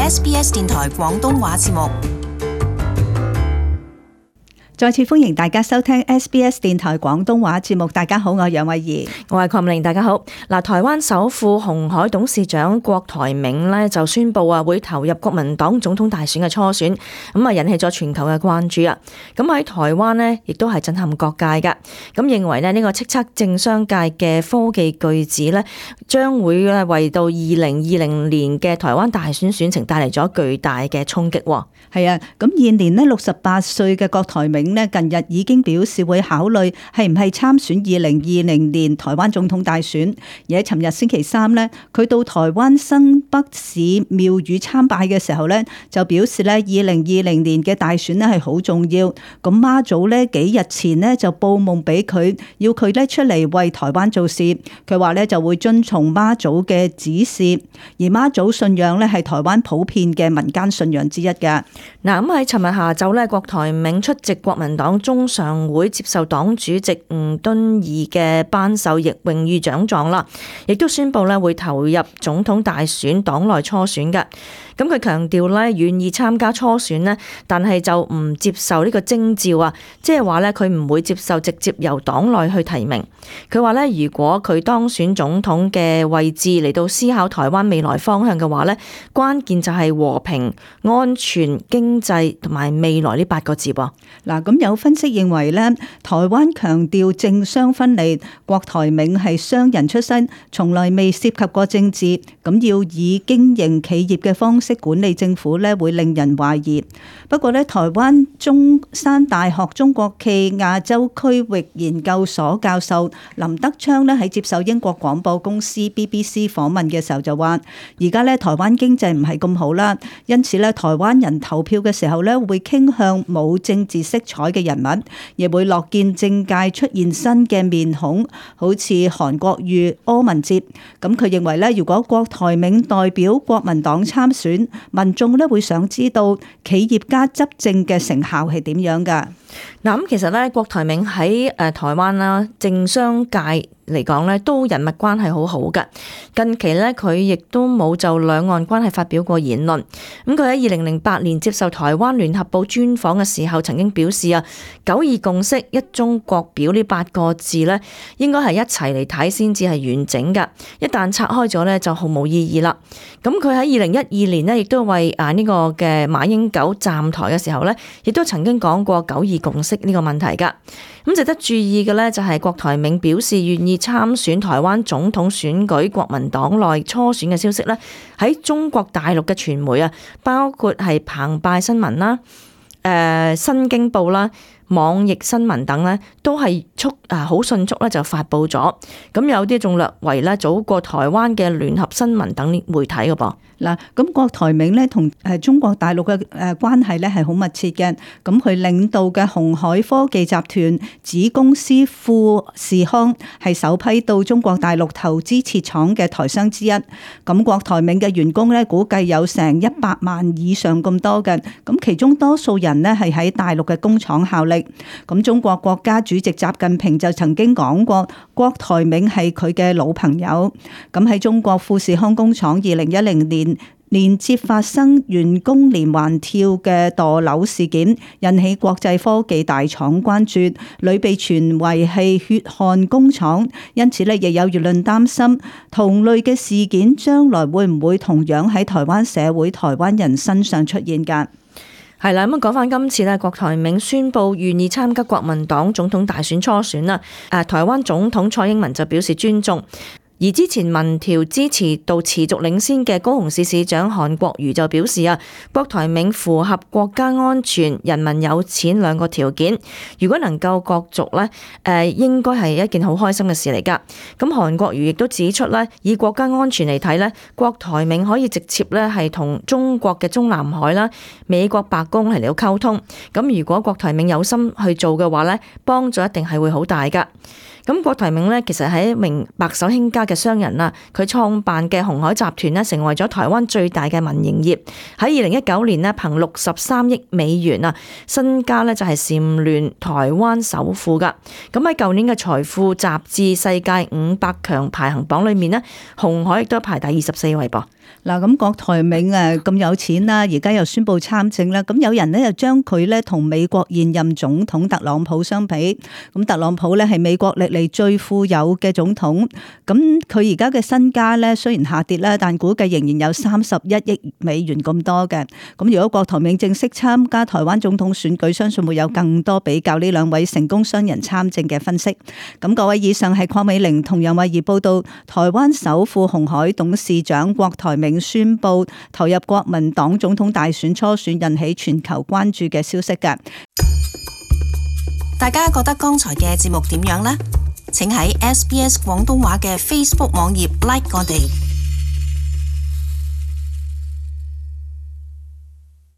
SBS 電台廣東話節目。再次歡迎大家收聽 SBS 電台廣東話節目。大家好，我係楊慧儀，我係鄺明，大家好。嗱，台灣首富鴻海董事長郭台銘呢就宣布會投入國民黨總統大選嘅初選，咁引起咗全球嘅關注啊。咁喺台灣呢亦都係震撼各界㗎。咁認為呢個叱咤政商界嘅科技巨子呢，將會為到2020年嘅台灣大選選情帶嚟咗巨大嘅衝擊。係啊，咁現年呢68歲嘅郭台銘呢，近日已經表示會考慮係唔係參選2020年台灣總統大選。而喺尋日星期三呢，佢到台灣新北市廟宇參拜嘅時候呢，就表示呢2020年嘅大選呢係好重要。咁媽祖呢幾日前呢就報夢俾佢，要佢呢出嚟為台灣做事。佢話呢就會遵從媽祖嘅指示，而媽祖信仰呢係台灣普遍嘅民間信仰之一㗎。嗱，咁喺尋日下晝咧，郭台銘出席國民黨中常會接受黨主席吳敦義嘅頒授榮譽獎狀啦，亦都宣布咧會投入總統大選黨內初選嘅。咁佢強調咧願意參加初選呢，但係就唔接受呢個徵召啊，即係話咧佢唔會接受直接由黨內去提名。佢話咧如果佢當選總統嘅位置嚟到思考台灣未來方向嘅話咧，關鍵就係和平、安全、經濟同埋未來呢8個字噃。嗱，咁有分析認為咧，台灣強調政商分離，郭台銘係商人出身，從來未涉及過政治，咁要以經營企業嘅方式管理政府咧，會令人懷疑。不過咧，台灣中山大學中國暨亞洲區域研究所教授林德昌咧喺接受英國廣播公司 BBC 訪問嘅時候就話：而家咧台灣經濟唔係咁好啦，因此咧台灣人投票嘅時候咧會傾向冇政治色彩嘅人物，亦會樂見政界出現新嘅面孔，好似韓國瑜、柯文哲。咁佢認為咧，如果郭台銘代表國民黨參選，民眾咧會想知道企業家執政嘅成效係點樣㗎？嗱，咁其實咧，郭台銘喺台灣啦，政商界嚟講咧，都人脈關係好好㗎。近期咧，佢亦都冇就兩岸關係發表過言論。咁佢喺2008年接受台灣聯合報專訪嘅時候，曾經表示啊，9二共識、一中國表呢8個字咧，應該係一齊嚟睇先至係完整㗎。一旦拆開咗咧，就毫無意義啦。咁佢喺2012年呢，亦都為呢個嘅馬英九站台嘅時候咧，亦都曾經講過9二共識呢個問題㗎。咁值得注意嘅咧，就係郭台銘表示願意參選台灣總統選舉國民黨內初選嘅消息咧，喺中國大陸嘅傳媒啊，包括係澎湃新聞啦、新京報啦、網易新聞等咧，都係好迅速咧就發布咗。咁有啲仲略為咧早過台灣嘅聯合新聞等媒體嘅噃。嗱，咁郭台銘咧同中國大陸嘅關係咧係好密切嘅。咁佢領導嘅鴻海科技集團子公司富士康係首批到中國大陸投資設廠嘅台商之一。咁郭台銘嘅員工咧估計有成100萬以上咁多嘅。咁其中多數人呢係喺大陸嘅工廠效力。咁中國國家主席習近平就曾經講過，郭台銘係佢嘅老朋友。咁喺中國富士康工廠2010年連接發生員工連環跳嘅墮樓事件，引起國際科技大廠關注，屢被傳為係血汗工廠。因此咧，亦有輿論擔心同類嘅事件將來會唔會同樣喺台灣社會、台灣人身上出現㗎？係啦，咁講翻今次咧，郭台銘宣布願意參加國民黨總統大選初選啦。台灣總統蔡英文就表示尊重。而之前民調支持度持續領先嘅高雄市市長韓國瑜就表示啊，郭台銘符合國家安全、人民有錢兩個條件，如果能夠角逐咧，應該係一件好開心嘅事嚟㗎。咁韓國瑜亦都指出咧，以國家安全嚟睇咧，郭台銘可以直接咧係同中國嘅中南海啦、美國白宮嚟到溝通。咁如果郭台銘有心去做嘅話咧，幫助一定係會好大㗎。咁郭台銘咧，其實係一名白手興家嘅商人啦。佢創辦嘅鴻海集團咧，成為咗台灣最大嘅民營業。喺2019年咧，憑63億美元啊，身家咧就係蟬聯台灣首富噶。咁喺舊年嘅財富雜誌世界500強排行榜裏面咧，鴻海亦都排第24位噃。嗱，咁郭台銘咁有錢啦，而家又宣布參政啦，咁有人咧又將佢咧同美國現任總統特朗普相比，咁特朗普咧係美國歷嚟最富有嘅總統，咁佢而家嘅身家咧雖然下跌啦，但估計仍然有31億美元咁多嘅。咁如果郭台銘正式參加台灣總統選舉，相信會有更多比較呢兩位成功商人參政嘅分析。咁各位，以上係鄺美玲同楊慧儀報道台灣首富鴻海董事長郭台銘宣布投入國民黨總統大選初選，引起全球關注嘅消息㗎。大家覺得剛才嘅節目點樣呢？請喺SBS 廣東話嘅 Facebook 網頁 like 我哋。